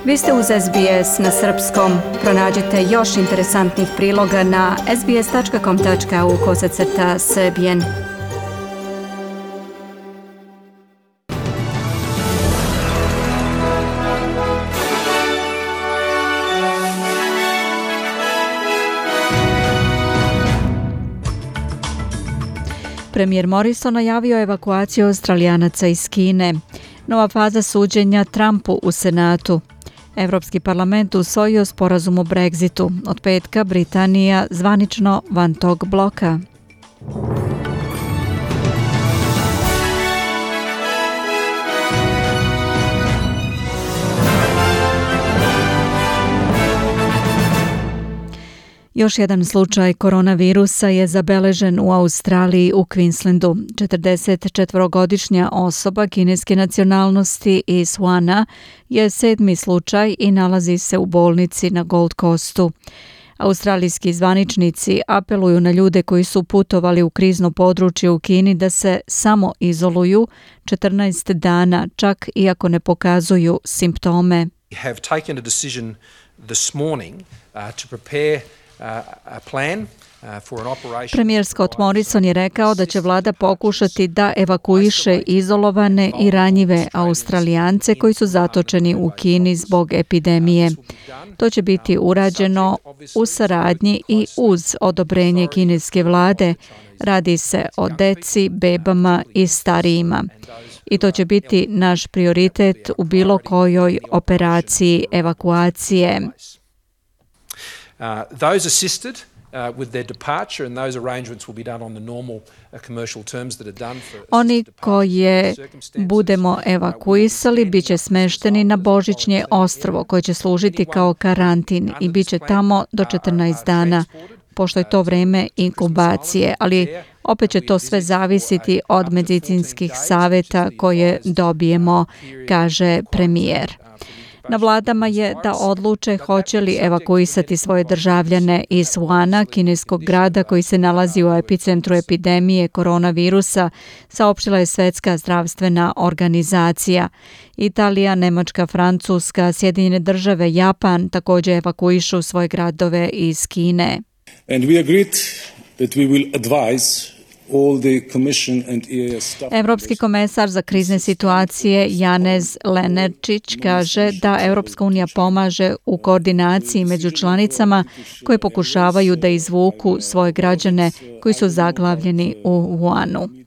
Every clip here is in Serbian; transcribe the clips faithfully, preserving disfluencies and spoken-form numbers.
Vi ste uz S B S na srpskom. Pronađite još interesantnih priloga na sbs tačka com tačka au kosacrta srbijen. Premijer Morrison najavio evakuaciju Australijanaca iz Kine. Nova faza suđenja Trumpu u Senatu. Evropski parlament usvojio sporazum o Brexitu. Od petka Britanija zvanično van tog bloka. Još jedan slučaj koronavirusa je zabeležen u Australiji u Queenslandu. četrdesetčetvorogodišnja osoba kineske nacionalnosti iz Wuhana je sedmi slučaj i nalazi se u bolnici na Gold Coastu. Australijski zvaničnici apeluju na ljude koji su putovali u krizno područje u Kini da se samo izoluju četrnaest dana, čak i ako ne pokazuju simptome. We have taken a decision this morning uh, to prepare Premijer Scott Morrison je rekao da će vlada pokušati da evakuiše izolovane i ranjive Australijance koji su zatočeni u Kini zbog epidemije. To će biti urađeno u saradnji i uz odobrenje kineske vlade. Radi se o deci, bebama i starijima. I to će biti naš prioritet u bilo kojoj operaciji evakuacije. Uh, those assisted uh, with their departure and those arrangements will be done on the normal uh, commercial terms that are done for Oni koje budemo evakuisali biće smešteni na Božićnje ostrvo koje će služiti kao karantin i biće tamo do četrnaest dana, pošto je to vreme inkubacije, ali opet će to sve zavisiti od medicinskih savjeta koje dobijemo, kaže premijer. Na vladama je da odluče hoće li evakuisati svoje državljane iz Wuhana, kineskog grada koji se nalazi u epicentru epidemije koronavirusa, saopštila je Svetska zdravstvena organizacija. Italija, Nemačka, Francuska, Sjedinjene države, Japan također evakuišu svoje gradove iz Kine. And we agreed that we will advise Evropski komesar za krizne situacije Janez Lenarčič kaže da Evropska unija pomaže u koordinaciji među članicama koje pokušavaju da izvuku svoje građane koji su zaglavljeni u Wuhanu.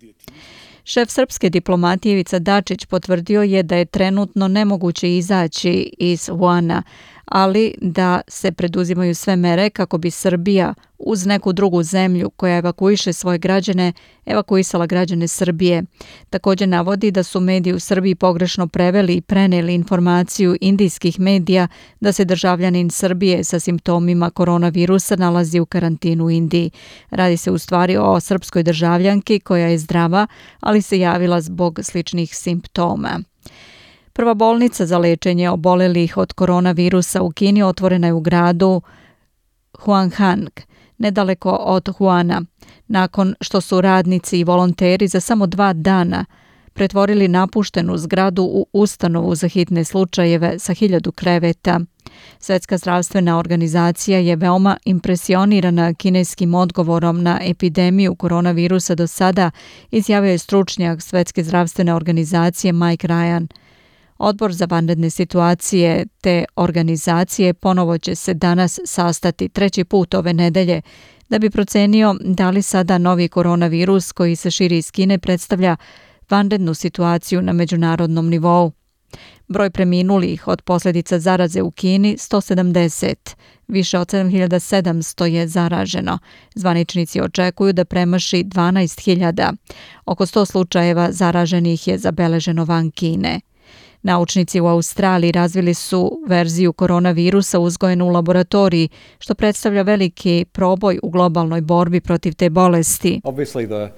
Šef srpske diplomatije Ivica Dačić potvrdio je da je trenutno nemoguće izaći iz Wuhana, ali da se preduzimaju sve mere kako bi Srbija uz neku drugu zemlju koja evakuiše svoje građane, evakuisala građane Srbije. Također navodi da su mediji u Srbiji pogrešno preveli i preneli informaciju indijskih medija da se državljanin Srbije sa simptomima koronavirusa nalazi u karantinu u Indiji. Radi se u stvari o srpskoj državljanki koja je zdrava, ali se javila zbog sličnih simptoma. Prva bolnica za lečenje obolelih od koronavirusa u Kini otvorena je u gradu Huanghang, nedaleko od Wuhana, nakon što su radnici i volonteri za samo dva dana pretvorili napuštenu zgradu u ustanovu za hitne slučajeve sa hiljadu kreveta. Svetska zdravstvena organizacija je veoma impresionirana kineskim odgovorom na epidemiju koronavirusa do sada, izjavio je stručnjak Svetske zdravstvene organizacije Mike Ryan. Odbor za vanredne situacije te organizacije ponovo će se danas sastati treći put ove nedelje da bi procenio da li sada novi koronavirus koji se širi iz Kine predstavlja vanrednu situaciju na međunarodnom nivou. Broj preminulih od posljedica zaraze u Kini sto sedamdeset, više od sedam hiljada sedamsto je zaraženo. Zvaničnici očekuju da premaši dvanaest hiljada. Oko sto slučajeva zaraženih je zabeleženo van Kine. Naučnici u Australiji razvili su verziju koronavirusa uzgojenu u laboratoriji, što predstavlja veliki proboj u globalnoj borbi protiv te bolesti. Obviously the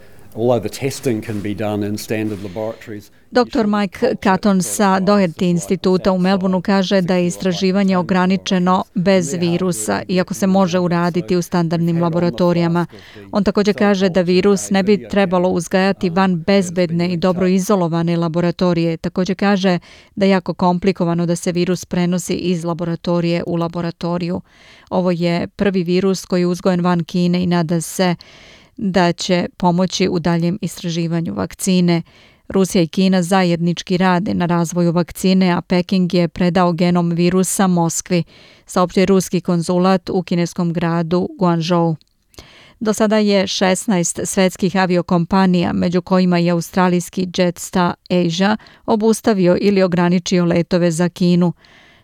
doktor Mike Catton sa Doherty instituta u Melbourneu kaže da je istraživanje ograničeno bez virusa, iako se može uraditi u standardnim laboratorijama. On također kaže da virus ne bi trebalo uzgajati van bezbedne i dobro izolovane laboratorije. Također kaže da je jako komplikovano da se virus prenosi iz laboratorije u laboratoriju. Ovo je prvi virus koji je uzgojen van Kine i nada se da će pomoći u daljem istraživanju vakcine. Rusija i Kina zajednički rade na razvoju vakcine, a Peking je predao genom virusa Moskvi, saopštio je ruski konzulat u kineskom gradu Guangzhou. Do sada je šesnaest svetskih aviokompanija, među kojima i australijski Jetstar Asia, obustavio ili ograničio letove za Kinu.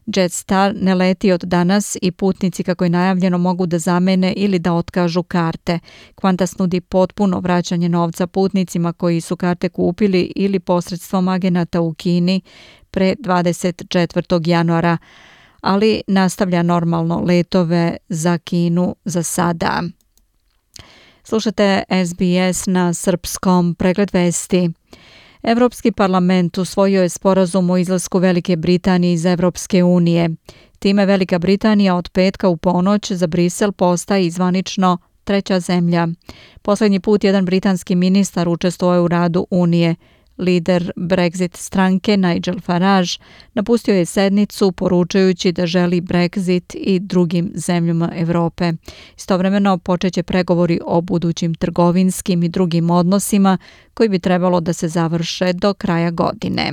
Jetstar ne leti od danas i putnici, kako je najavljeno, mogu da zamene ili da otkažu karte. Qantas nudi potpuno vraćanje novca putnicima koji su karte kupili ili posredstvom agenata u Kini pre dvadeset četvrtog januara, ali nastavlja normalno letove za Kinu za sada. Slušate S B S na srpskom, pregled vesti. Evropski parlament usvojio je sporazum o izlasku Velike Britanije iz Evropske unije. Time Velika Britanija od petka u ponoć za Brisel postaje zvanično treća zemlja. Poslednji put jedan britanski ministar učestvovao je u radu Unije. Lider Brexit stranke Nigel Farage napustio je sednicu poručujući da želi Brexit i drugim zemljama Evrope. Istovremeno počeće pregovori o budućim trgovinskim i drugim odnosima koji bi trebalo da se završe do kraja godine.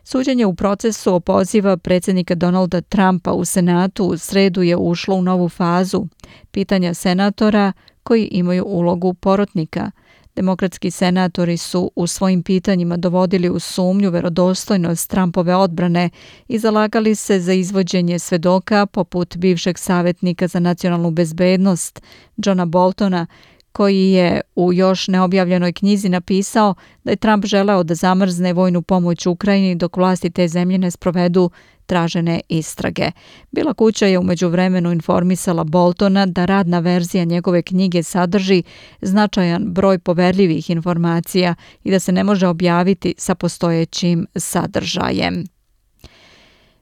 Suđenje u procesu opoziva predsjednika Donalda Trumpa u Senatu u sredu je ušlo u novu fazu. Pitanja senatora koji imaju ulogu porotnika. Demokratski senatori su u svojim pitanjima dovodili u sumnju verodostojnost Trumpove odbrane i zalagali se za izvođenje svedoka poput bivšeg savjetnika za nacionalnu bezbednost Johna Boltona, koji je u još neobjavljenoj knjizi napisao da je Trump želeo da zamrzne vojnu pomoć Ukrajini dok vlasti te zemlje ne sprovedu tražene istrage. Bijela kuća je u međuvremenu informisala Boltona da radna verzija njegove knjige sadrži značajan broj poverljivih informacija i da se ne može objaviti sa postojećim sadržajem.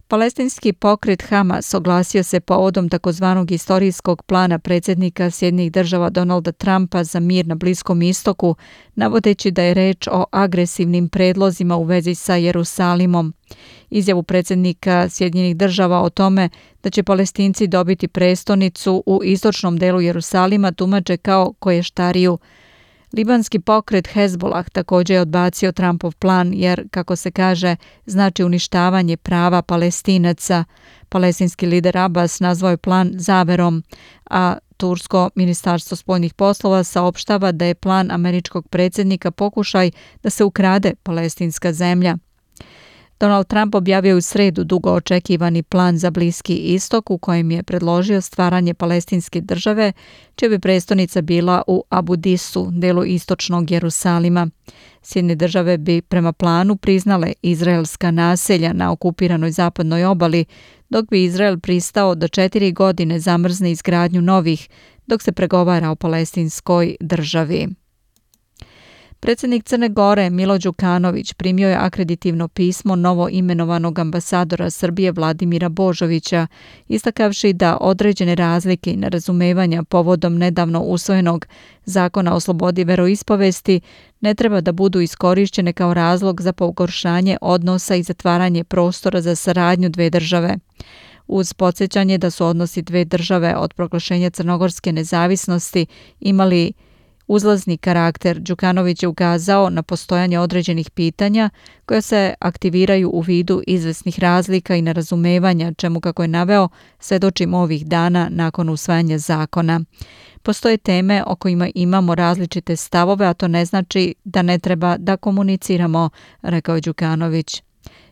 Palestinski pokret Hamas oglasio se povodom takozvanog istorijskog plana predsjednika Sjedinjenih Država Donalda Trumpa za mir na Bliskom istoku, navodeći da je reč o agresivnim predlozima u vezi sa Jerusalimom. Izjavu predsjednika Sjedinjenih Država o tome da će Palestinci dobiti prestonicu u istočnom delu Jerusalima tumače kao koještariju. Libanski pokret Hezbollah također je odbacio Trumpov plan jer, kako se kaže, znači uništavanje prava Palestinaca. Palestinski lider Abbas nazvao je plan zaverom, a Tursko ministarstvo spoljnih poslova saopštava da je plan američkog predsjednika pokušaj da se ukrade palestinska zemlja. Donald Trump objavio u sredu dugo očekivani plan za Bliski istok u kojem je predložio stvaranje palestinske države, čija bi prestonica bila u Abu Disu, delu istočnog Jerusalima. Sjedinjene države bi prema planu priznale izraelska naselja na okupiranoj zapadnoj obali, dok bi Izrael pristao da četiri godine zamrzne izgradnju novih, dok se pregovara o palestinskoj državi. Predsjednik Crne Gore Milo Đukanović primio je akreditivno pismo novo imenovanog ambasadora Srbije Vladimira Božovića, istakavši da određene razlike i nerazumevanja povodom nedavno usvojenog zakona o slobodi veroispovesti ne treba da budu iskorišćene kao razlog za pogoršanje odnosa i zatvaranje prostora za saradnju dve države. Uz podsjećanje da su odnosi dve države od proglašenja crnogorske nezavisnosti imali uzlazni karakter, Đukanović je ukazao na postojanje određenih pitanja koja se aktiviraju u vidu izvesnih razlika i nerazumevanja, čemu, kako je naveo, svedočimo ovih dana nakon usvajanja zakona. Postoje teme o kojima imamo različite stavove, a to ne znači da ne treba da komuniciramo, rekao je Đukanović.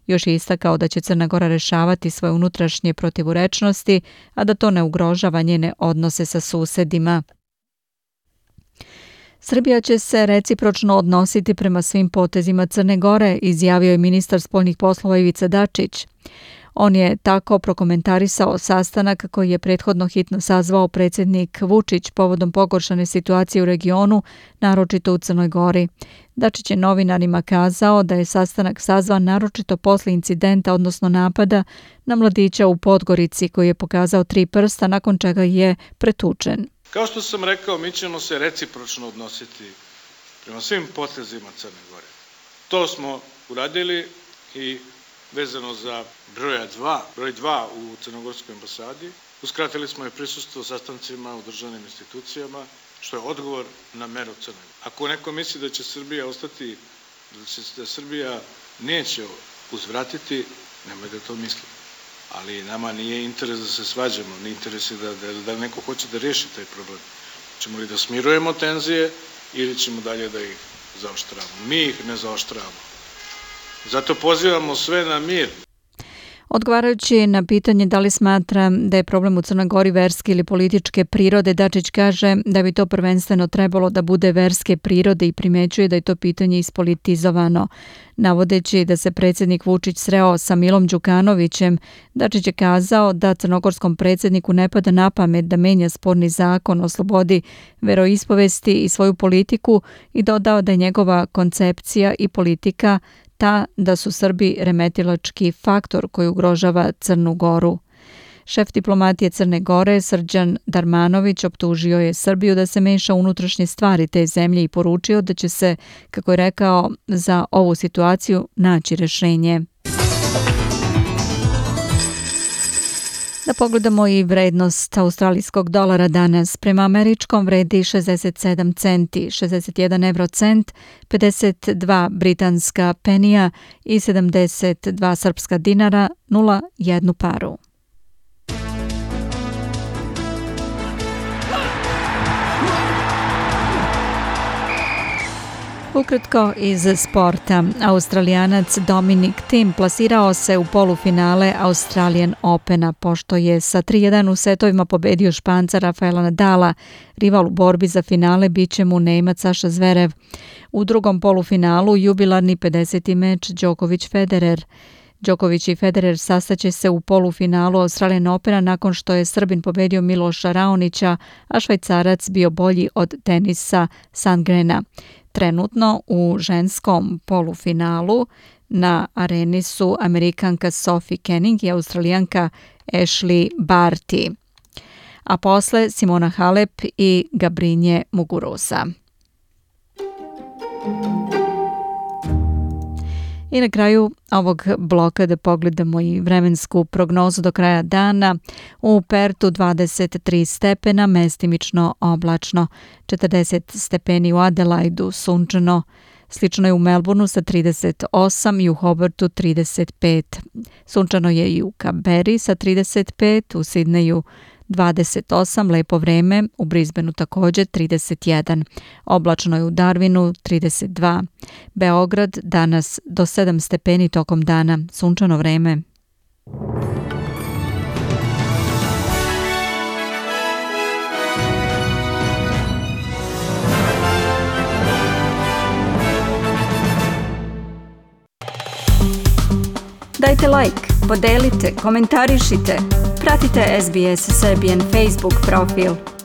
Još je istakao da će Crna Gora rešavati svoje unutrašnje protivurečnosti, a da to ne ugrožava njene odnose sa susedima. Srbija će se recipročno odnositi prema svim potezima Crne Gore, izjavio je ministar spoljnih poslova Ivica Dačić. On je tako prokomentarisao sastanak koji je prethodno hitno sazvao predsjednik Vučić povodom pogoršane situacije u regionu, naročito u Crnoj Gori. Dačić je novinarima kazao da je sastanak sazvan naročito posle incidenta, odnosno napada na mladića u Podgorici koji je pokazao tri prsta nakon čega je pretučen. Kao što sam rekao, mi ćemo se recipročno odnositi prema svim potezima Crne Gore. To smo uradili i vezano za broja dva, broj dva u Crnogorskoj ambasadi, uskratili smo i prisustvo sastancima u državnim institucijama, što je odgovor na meru Crne Gore. Ako neko misli da će Srbija ostati, da će da Srbija neće uzvratiti, nemoj da to misli. Ali nama nije interes da se svađamo, nije interes da, da, da neko hoće da riješi taj problem. Ćemo li da smirujemo tenzije ili ćemo dalje da ih zaoštravamo? Mi ih ne zaoštravamo. Zato pozivamo sve na mir. Odgovarajući na pitanje da li smatra da je problem u Crnoj Gori verske ili političke prirode, Dačić kaže da bi to prvenstveno trebalo da bude verske prirode i primećuje da je to pitanje ispolitizovano. Navodeći da se predsjednik Vučić sreo sa Milom Đukanovićem, Dačić je kazao da crnogorskom predsjedniku ne pada na pamet da menja sporni zakon o slobodi veroispovesti i svoju politiku i dodao da je njegova koncepcija i politika ta da su Srbi remetilački faktor koji ugrožava Crnu Goru. Šef diplomatije Crne Gore, Srđan Darmanović, optužio je Srbiju da se meša u unutrašnje stvari te zemlje i poručio da će se, kako je rekao, za ovu situaciju naći rješenje. Da pogledamo i vrednost australijskog dolara danas. Prema američkom vredi šezdeset sedam centi, šezdeset jedan eurocent, pedeset dva britanska penija i sedamdeset dva srpska dinara, nula jednu paru. Ukratko iz sporta. Australijanac Dominic Thiem plasirao se u polufinale Australian Opena pošto je sa tri jedan u setovima pobedio Španca Rafaela Nadala. Rival u borbi za finale bit će mu Nemac Saša Zverev. U drugom polufinalu jubilarni pedeseti meč Đoković-Federer. Đoković i Federer sastaće se u polufinalu Australian Opena nakon što je Srbin pobedio Miloša Raonića, a Švajcarac bio bolji od Denisa Sandgrena. Trenutno u ženskom polufinalu na areni su Amerikanka Sophie Kenin i Australijanka Ashley Barty, a posle Simona Halep i Gabrinje Muguruza. I na kraju ovog bloka da pogledamo i vremensku prognozu do kraja dana. U Pertu dvadeset tri stepena, mestimično oblačno, četrdeset stepeni u Adelaidu, sunčano. Slično je u Melbourneu sa trideset osam i u Hobartu trideset pet. Sunčano je i u Canberri sa trideset pet, u Sidneju dvadeset osam, lepo vreme, u Brisbaneu također trideset jedan, oblačno je u Darwinu trideset dva, Beograd danas do sedam stepeni tokom dana, sunčano vreme. Dajte like, podelite, komentarišite, pratite S B S Serbian Facebook profil.